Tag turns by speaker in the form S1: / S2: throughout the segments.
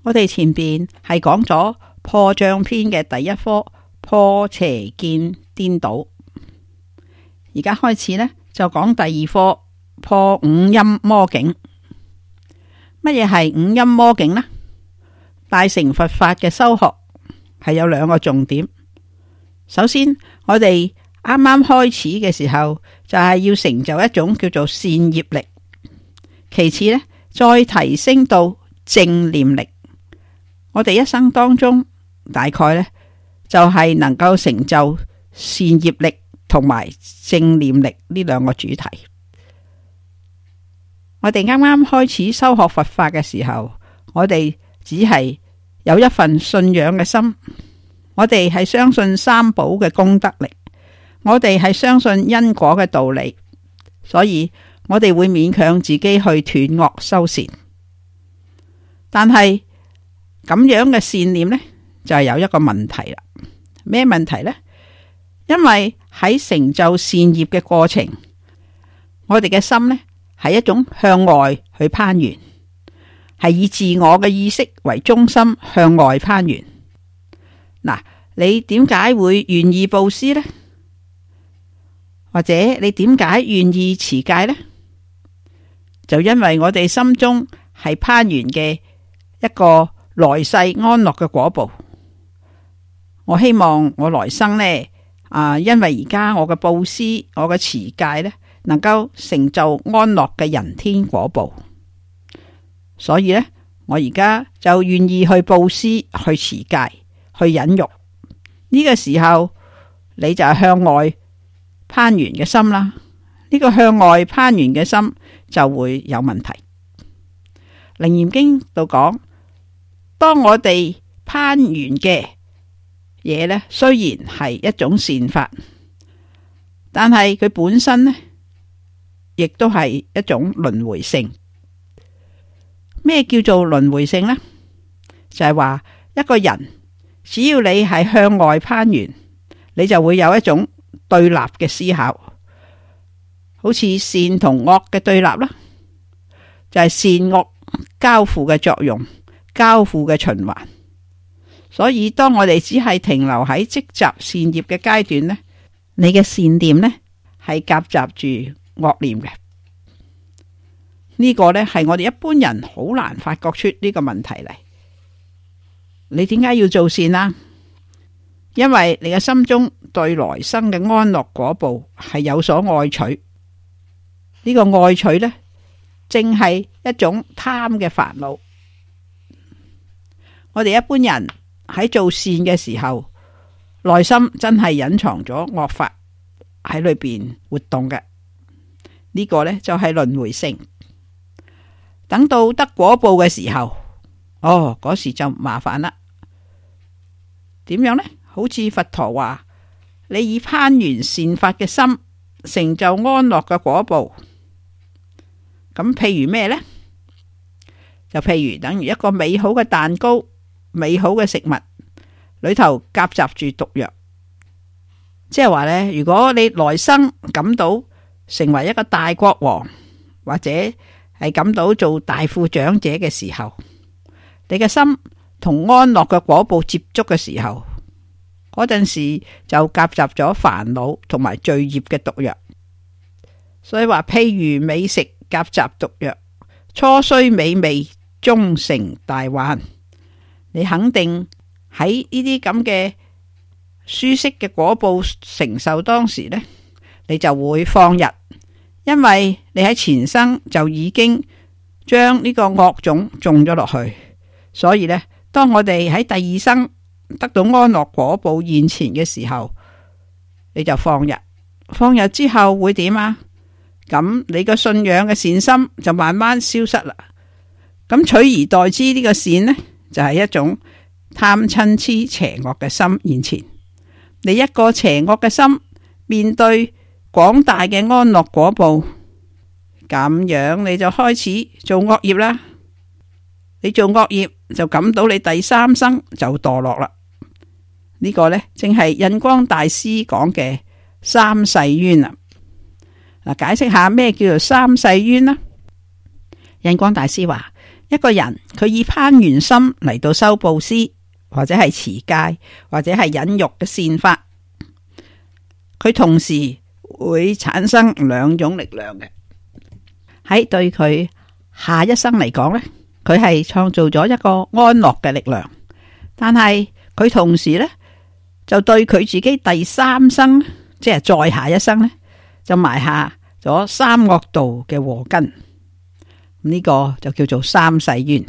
S1: 我哋前邊係講咗破障篇嘅第一科破邪見顛倒，而家開始呢，就講第二科破五陰魔境。乜嘢係五陰魔境呢？大乘佛法嘅修學係有兩個重點。首先，我哋啱啱開始嘅時候就係要成就一種叫做善業力，其次呢，再提升到正念力。我哋一生當中大概呢，就係能夠成就善業力同埋正念力呢兩個主題。我哋啱啱開始修學佛法嘅時候，我哋只係有一份信仰嘅心，我哋係相信三寶嘅功德力，我哋係相信因果嘅道理，所以我哋會勉強自己去斷惡修善。但係咁樣嘅善念呢，就係有一個問題啦。咩問題呢？因為喺成就善業嘅過程，我哋嘅心呢，係一種向外去攀緣，係以自我嘅意識為中心向外攀緣。嗱，你點解會願意布施呢？或者你點解願意持戒呢？就因為我哋心中係攀緣嘅一個來世安樂嘅果報。我希望我來生呢，因為而家我嘅布施、我嘅持戒呢，能夠成就安樂嘅人天果報，所以呢，我而家就願意去布施、去持戒、去忍辱。呢個時候你就係向外攀緣嘅心啦。呢個向外攀緣嘅心就會有問題。楞嚴經度講，當我哋攀緣嘅嘢呢，雖然係一種善法，但係佢本身呢，亦都係一種輪迴性。咩叫做輪迴性呢？就係話一個人只要你係向外攀緣，你就會有一種對立嘅思考，好似善同惡嘅對立啦，就係善惡交互嘅作用，交互嘅循環。所以當我哋只係停留喺積集善業嘅階段呢，你嘅善念呢係夾雜住惡念嘅。呢個呢係我哋一般人好難發覺出呢個問題嚟。你點解要做善啊？因為你嘅心中對來生嘅安樂果報係有所愛取。呢個愛取呢，正係一種貪嘅煩惱。我哋一般人喺做善嘅時候，內心真係隱藏咗惡法喺裏邊活動嘅。呢個呢，就係輪迴性。等到得果報嘅時候，嗰時就麻煩啦。點樣呢？好似佛陀話，你以攀緣善法嘅心成就安樂嘅果報。咁譬如咩呢？就譬如等於一個美好嘅蛋糕、美好嘅食物裏頭夾雜住毒藥，即係話呢，如果你來生感到成為一個大國王，或者係感到做大富長者嘅時候，你嘅心同安樂嘅果報接觸嘅時候，嗰陣時就夾雜咗煩惱同埋罪業嘅毒藥。所以話，譬如美食夾雜毒藥，初雖美味，終成大患。你肯定喺呢啲咁嘅舒適嘅果報承受當時呢，你就會放逸，因為你喺前生就已經將呢個惡種種咗落去。所以呢，當我哋喺第二生得到安樂果報現前嘅時候，你就放逸。放逸之後會點啊？咁你個信仰嘅善心就慢慢消失啦。咁取而代之呢個善呢，就係一種貪嗔癡邪惡嘅心現前。你一個邪惡嘅心面對廣大嘅安樂果報，咁樣你就開始做惡業啦。你做惡業就感到你第三生就墮落啦。呢個呢，正係印光大師講嘅三世冤啊。嗱，解釋下咩叫做三世冤啦。印光大師話，一個人佢以攀緣心嚟到修布施，或者係持戒，或者係忍辱嘅善法，佢同時會產生兩種力量嘅。喺對佢下一生嚟講呢，佢係創造咗一個安樂嘅力量，但係佢同時呢，就對佢自己第三生，即係再下一生呢，就埋下咗三惡道嘅禍根。呢個就叫做三世緣。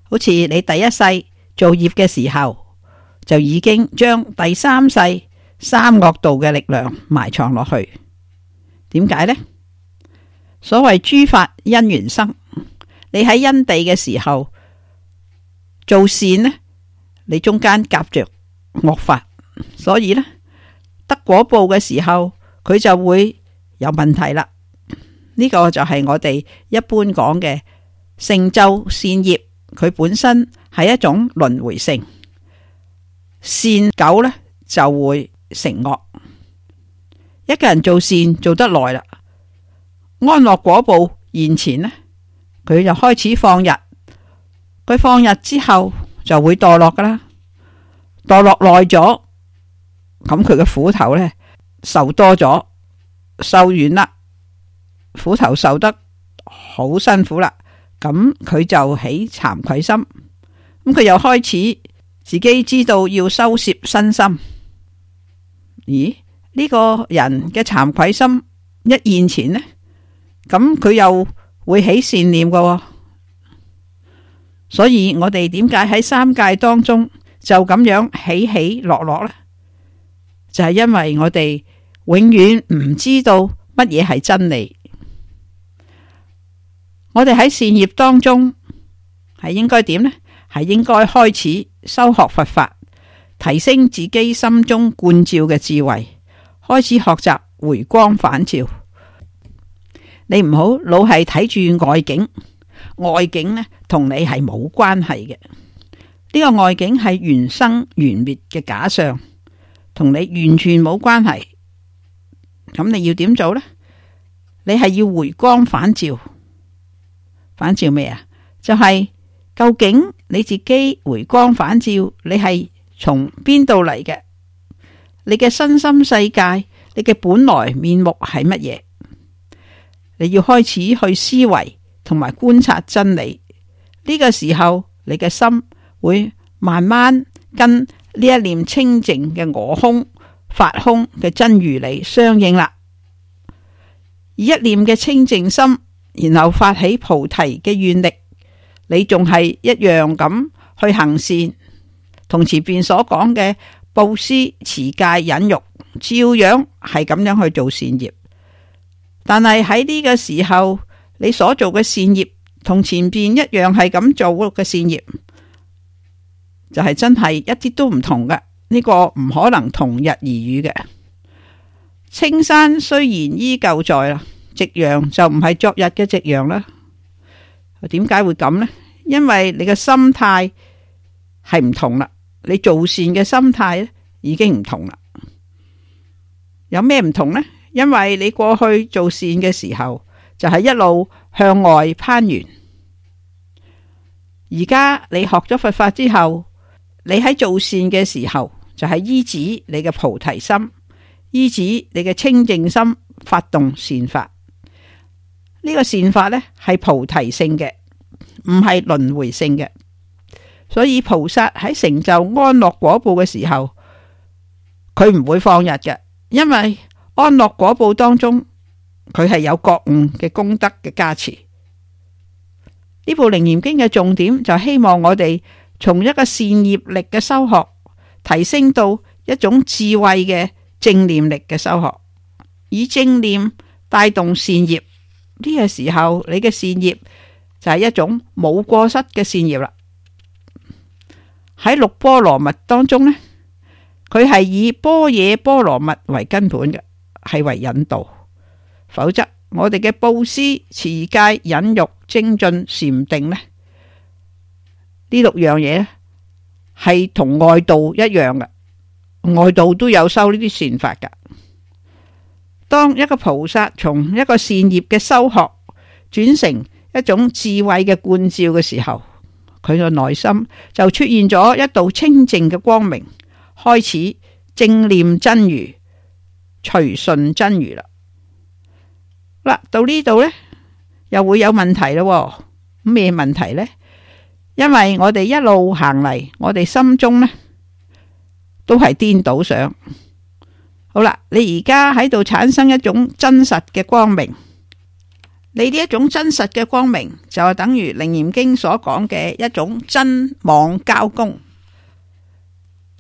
S1: 好似你第一世做業嘅時候，就已經將第三世三惡道嘅力量埋藏落去。點解呢？所謂諸法因緣生，你喺因地嘅時候做善呢，你中間夾着惡法，所以呢，得果報嘅時候佢就會有問題啦。呢個就係我哋一般講嘅成就善業，佢本身係一種輪迴性，善久呢就會成惡。一個人做善做得耐啦，安樂果報現前呢，佢就開始放逸。佢放逸之後就會墮落噶啦，墮落耐咗，咁佢嘅苦頭呢受多咗，受完啦。苦頭受得好辛苦啦，咁佢就起慚愧心，咁佢又開始自己知道要收攝身心。咦？呢個人嘅慚愧心一現前呢，咁佢又會起善念㗎。所以我哋點解喺三界當中就咁樣起起落落呢？就係因為我哋永遠唔知道乜嘢係真理。我哋喺善業當中係應該點呢？係應該開始修學佛法，提升自己心中觀照嘅智慧，開始學習回光返照。你唔好老係睇住外境，外境呢同你係冇關係嘅。呢個外境係緣生緣滅嘅假象，同你完全冇關係。咁你要點做呢？你係要回光返照。返照咩啊？就係究竟你自己回光返照，你係從邊度嚟嘅？你嘅身心世界，你嘅本來面目係乜嘢？你要開始去思維同埋觀察真理。呢個時候，你嘅心會慢慢跟呢一念清淨嘅我空、法空嘅真如理相應啦。以一念嘅清淨心，然後發起菩提嘅願力，你仲係一樣咁去行善，同前邊所講嘅布施、持戒、忍辱，照樣係咁樣去做善業。但係喺呢個時候，你所做嘅善業同前邊一樣係咁做嘅善業，就係真係一啲都唔同嘅。呢個唔可能同日而語嘅。青山雖然依舊在啦，夕陽就唔係昨日嘅夕陽啦。點解會咁呢？因為你嘅心態係唔同啦，你做善嘅心態已經唔同啦。有咩唔同呢？因為你過去做善嘅時候就係一路向外攀緣，而家你學咗佛法之後，你喺做善嘅時候就係依止你嘅菩提心，依止你嘅清淨心，發動善法。呢個善法呢係菩提性嘅，唔係輪迴性嘅。所以菩薩喺成就安樂果報嘅時候，佢唔會放逸嘅，因為安樂果報當中佢係有覺悟嘅功德嘅加持。呢部《楞嚴經》嘅重點就希望我哋從一個善業力嘅修學，提升到一種智慧嘅正念力嘅修學，以正念帶動善業。呢個時候你嘅善業就係一種冇過失嘅善業啦。喺六波羅蜜當中呢，佢係以般若波羅蜜為根本嘅，係為引導。否則我哋嘅布施、持戒、忍辱、精進、禪定呢六樣嘢係同外道一樣嘅，外道都有修呢啲善法噶。當一個菩薩從一個善業嘅修學轉成一種智慧嘅觀照嘅時候，佢嘅內心就出現咗一道清淨嘅光明，開始正念真如，隨順真如啦。嗱，到呢度呢，又會有問題咯。咩問題呢？因為我哋一路行嚟，我哋心中呢都係顛倒想。好啦，你而家喺度產生一種真實嘅光明，你呢一種真實嘅光明就係等於《楞嚴經》所講嘅一種真妄交功，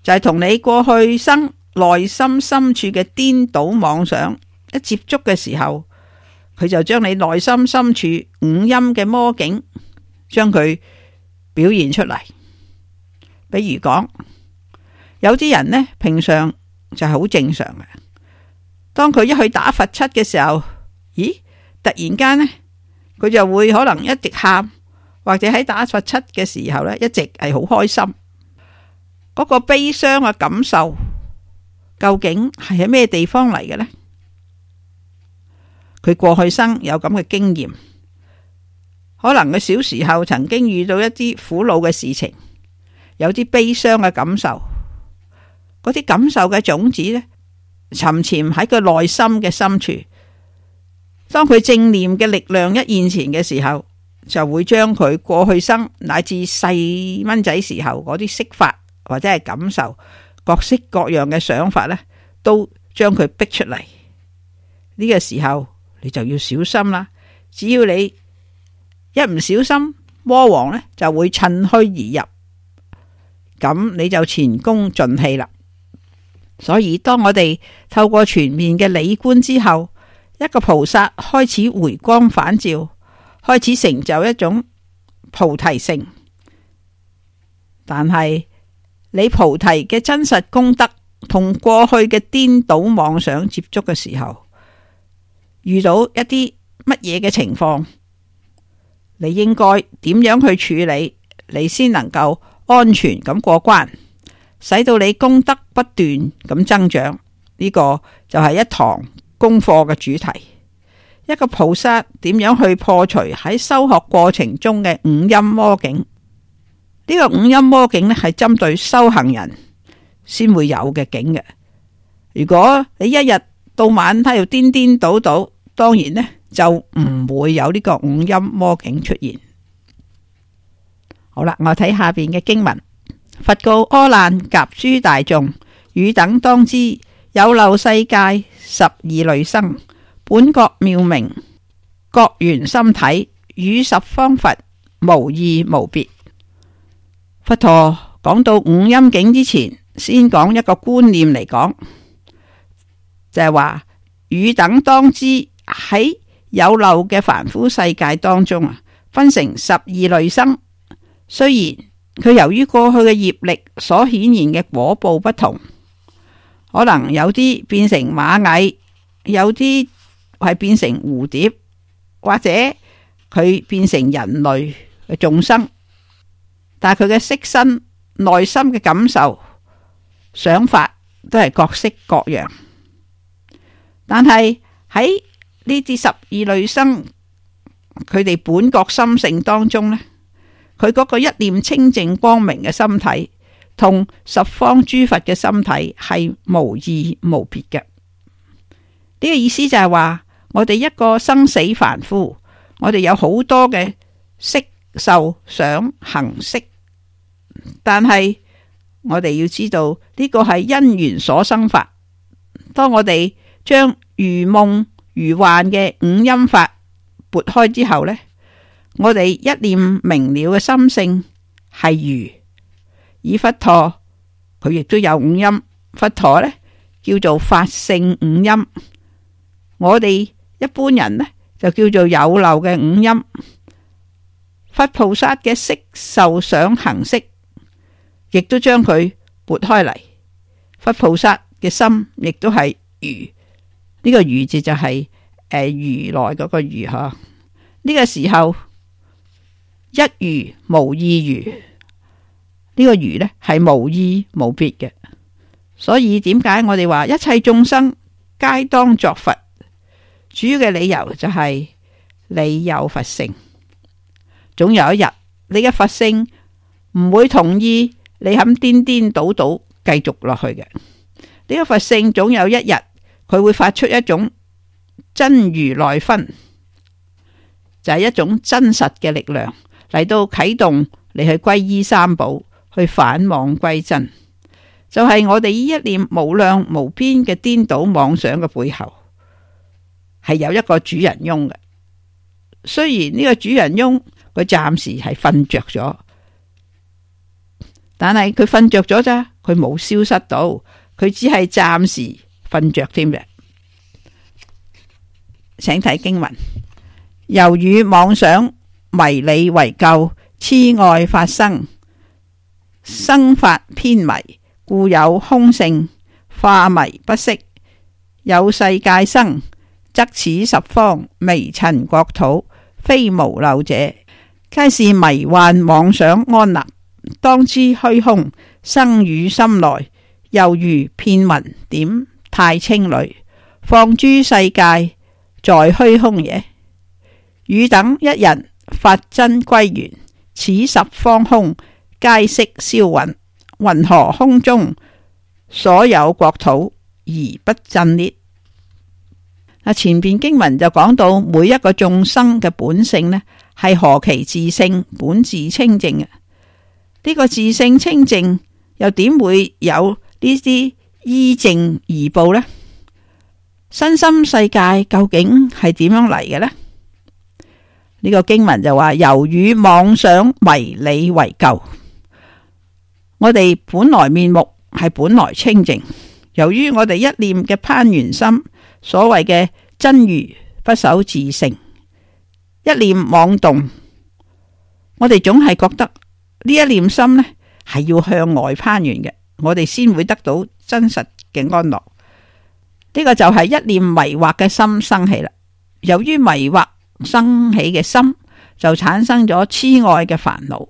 S1: 就係同你過去生內心深處嘅顛倒妄想一接觸嘅時候，佢就將你內心深處五陰嘅魔境將佢表現出嚟。比如講，有啲人呢，平常就係好正常嘅，當佢一去打佛七嘅時候，咦，突然間呢，佢就會可能一直喊，或者喺打佛七嘅時候呢，一直係好開心。嗰個悲傷嘅感受究竟係喺咩地方嚟嘅呢？佢過去生有咁嘅經驗，可能佢小時候曾經遇到一啲苦惱嘅事情，有啲悲傷嘅感受，嗰啲感受嘅種子呢，沉潛喺佢內心嘅深處。當佢正念嘅力量一現前嘅時候，就會將佢過去生乃至細蚊仔時候嗰啲識法或者係感受，各式各樣嘅想法呢，都將佢逼出嚟。呢個時候你就要小心啦。只要你一唔小心，魔王呢就會趁虛而入，咁你就前功盡棄啦。所以當我哋透過全面嘅理觀之後，一個菩薩開始回光返照，開始成就一種菩提性。但係你菩提嘅真實功德同過去嘅顛倒妄想接觸嘅時候，遇到一啲乜嘢嘅情況，你應該點樣去處理，你先能夠安全咁過關，使到你功德不斷咁增長。呢個就係一堂功課嘅主題。一個菩薩點樣去破除喺修學過程中嘅五陰魔境？呢個五陰魔境呢，係針對修行人先會有嘅境嘅。如果你一日到晚喺度顛顛倒倒，當然呢就唔會有呢個五陰魔境出現。好啦，我睇下邊嘅經文。佛告阿難及諸大眾：汝等當知，有漏世界12類生，本覺妙明，覺圓心體，與十方佛無異無別。佛陀講到五陰境之前，先講一個觀念嚟講，就係話汝等當知，喺有漏嘅凡夫世界當中啊，分成12類生。雖然佢由於過去嘅業力所顯現嘅果報不同，可能有啲變成螞蟻，有啲係變成蝴蝶，或者佢變成人類嘅眾生，但係佢嘅色身、內心嘅感受、想法都係各式各樣。但係喺呢啲12類生，佢哋本覺心性當中呢，佢嗰個一念清淨光明嘅心體，同十方諸佛嘅心體係無異無別嘅。呢個意思就係話，我哋一個生死凡夫，我哋有好多嘅色受想行識，但係我哋要知道呢個係因緣所生法。當我哋將如夢如幻嘅五陰法撥開之後呢，我哋一念明了嘅心性係如。以佛陀佢亦都有五陰，佛陀呢叫做法性五陰，我哋一般人呢就叫做有漏嘅五陰。佛菩薩嘅色受想行識亦都將佢撥開嚟，佛菩薩嘅心亦都係如。呢個如字就係如來嗰個如嗬。呢個時候一如無二如。呢個如呢係無異無別嘅，所以點解我哋話一切眾生皆當作佛？主要嘅理由就係你有佛性，總有一日你嘅佛性唔會同意你肯顛顛倒倒繼續落去嘅。呢個佛性總有一日佢會發出一種真如來分，就係一種真實嘅力量嚟到啟動你去皈依三寶，去返妄歸真。就係我哋呢一念無量無邊嘅顛倒妄想嘅背後，係有一個主人翁嘅。雖然呢個主人翁佢暫時係瞓着咗，但係佢瞓着咗咋，佢冇消失到，佢只係暫時瞓着添嘅。請睇經文：由於妄想迷理為垢，痴愛法生，生法偏迷，故有空性，化迷不息。有世界生，則此十方微塵國土，非無漏者，皆是迷幻妄想安立。當知虛空生於心內，猶如片雲點太清裏，放諸世界在虛空也。汝等一人發真歸元，此十方空皆悉銷殞，云何空中所有國土而不震裂？前邊經文就講到每一個眾生嘅本性呢，係何其自性本自清淨嘅。呢個自性清淨又點會有呢啲依正而報呢？身心世界究竟係點樣嚟嘅呢？呢個經文就話：由於妄想迷理為垢，我哋本來面目係本來清淨，由於我哋一念嘅攀緣心，所謂嘅真如不守自性，一念妄動，我哋總係覺得呢一念心呢係要向外攀緣嘅，我哋先會得到真實嘅安樂。呢個就係一念迷惑嘅心生起啦。由於迷惑生起嘅心，就產生咗痴愛嘅煩惱。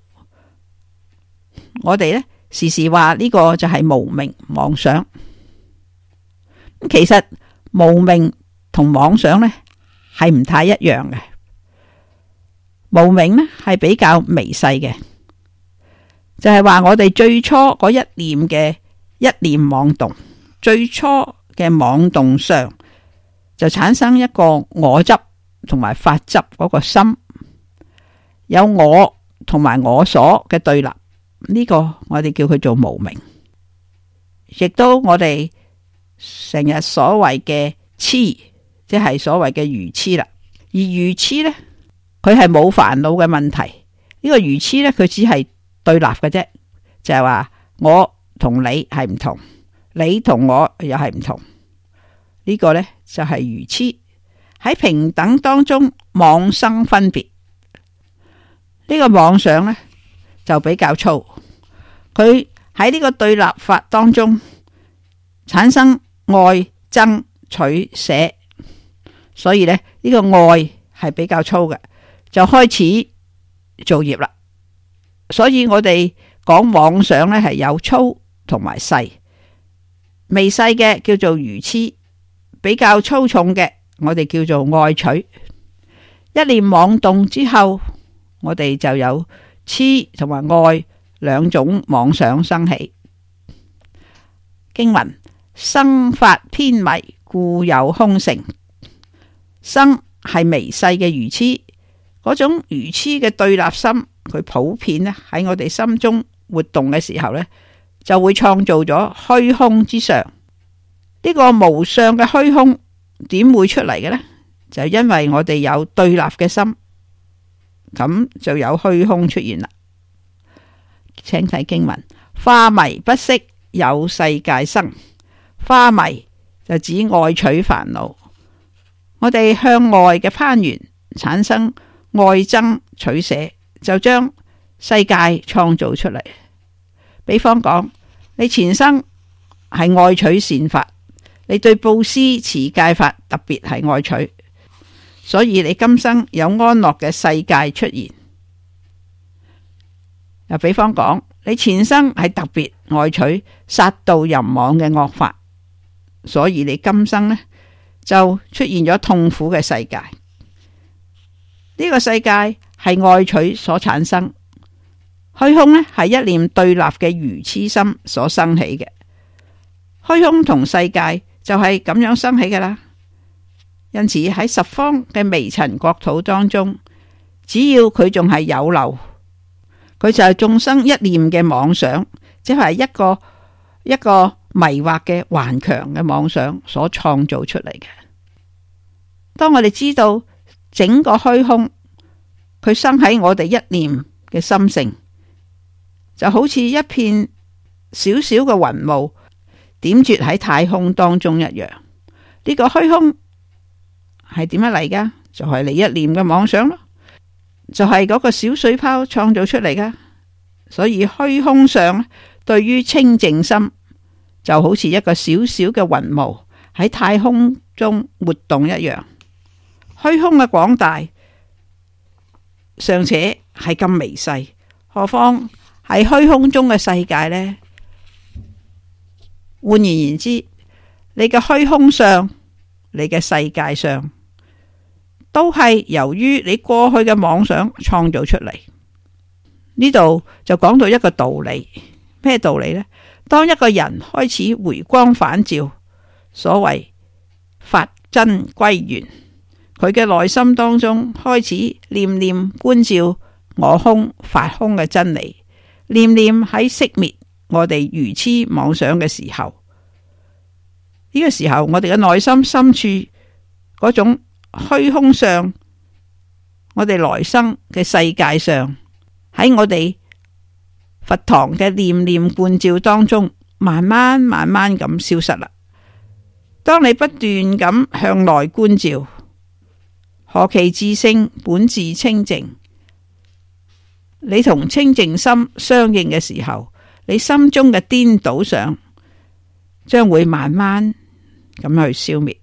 S1: 我哋呢時時話呢個就係無明妄想。其實無明同妄想呢係唔太一樣嘅。無明呢係比較微細嘅，就係話我哋最初嗰一念嘅一念妄動，最初嘅妄動上就產生一個我執同埋法執嗰個心，有我同埋我所嘅對立，呢個我哋叫佢做無明。亦都我哋成日所謂嘅痴，即係所謂嘅愚痴啦。而愚痴呢，佢係冇煩惱嘅問題。呢個愚痴呢，佢只係對立嘅啫，就係話我同你係唔同，你同我又係唔同。呢個呢，就係愚痴。喺平等當中妄生分別，呢個妄想呢，就比較粗。佢喺呢個對立法當中產生愛憎取捨，所以呢，呢個愛係比較粗嘅，就開始造業啦。所以我哋講妄想呢，係有粗同埋細，微細嘅叫做愚痴，比較粗重嘅我哋叫做愛取。一念妄動之後，我哋就有痴同埋愛兩種妄想生起。經文：生法偏迷，故有空性。生係微細嘅愚痴，嗰種愚痴嘅對立心，佢普遍咧喺我哋心中活動嘅時候呢，就會創造咗虛空之相。呢個無相嘅虛空點會出嚟嘅呢？就因為我哋有對立嘅心，咁就有虛空出現啦。請睇經文：化迷不息，有世界生。化迷就指愛取煩惱，我哋向外嘅攀緣產生愛憎取捨，就將世界創造出嚟。比方講，你前生係愛取善法，你對布施持戒法特別係愛取，所以你今生有安樂嘅世界出現。又比方講，你前生係特別愛取殺盜淫妄嘅惡法，所以你今生呢就出現咗痛苦嘅世界。呢個世界係愛取所產生，虛空呢係一念對立嘅愚癡心所生起嘅。虛空同世界就係咁樣生起㗎啦。因此喺十方嘅微塵國土當中，只要佢仲係有漏，佢就係眾生一念嘅妄想，即係一個迷惑嘅頑強嘅妄想所創造出嚟嘅。當我哋知道整個虛空佢生喺我哋一念嘅心性，就好似一片小小嘅雲霧點綴喺太空當中一樣。呢個虛空係點樣嚟噶？就係你一念嘅妄想咯，就係嗰個小水泡創造出嚟噶。所以虛空相對於清淨心就好似一個小小嘅雲霧喺太空中活動一樣。虛空嘅廣大尚且係咁微細，何況喺虛空中嘅世界呢？換言言之，你嘅虛空相，你嘅世界上，都係由於你過去嘅妄想創造出嚟。呢度就講到一個道理，咩道理呢？當一個人開始回光返照，所謂法真歸元，佢嘅內心當中開始念念觀照我空法空嘅真理，念念喺熄滅我哋愚癡妄想嘅時候，呢個時候我哋嘅內心深處嗰種虛空相，我哋來生嘅世界上，喺我哋佛堂嘅念念觀照當中，慢慢咁消失啦。當你不斷咁向內觀照，何其自性本自清淨，你同清淨心相應嘅時候，你心中嘅顛倒相將會慢慢咁去消滅。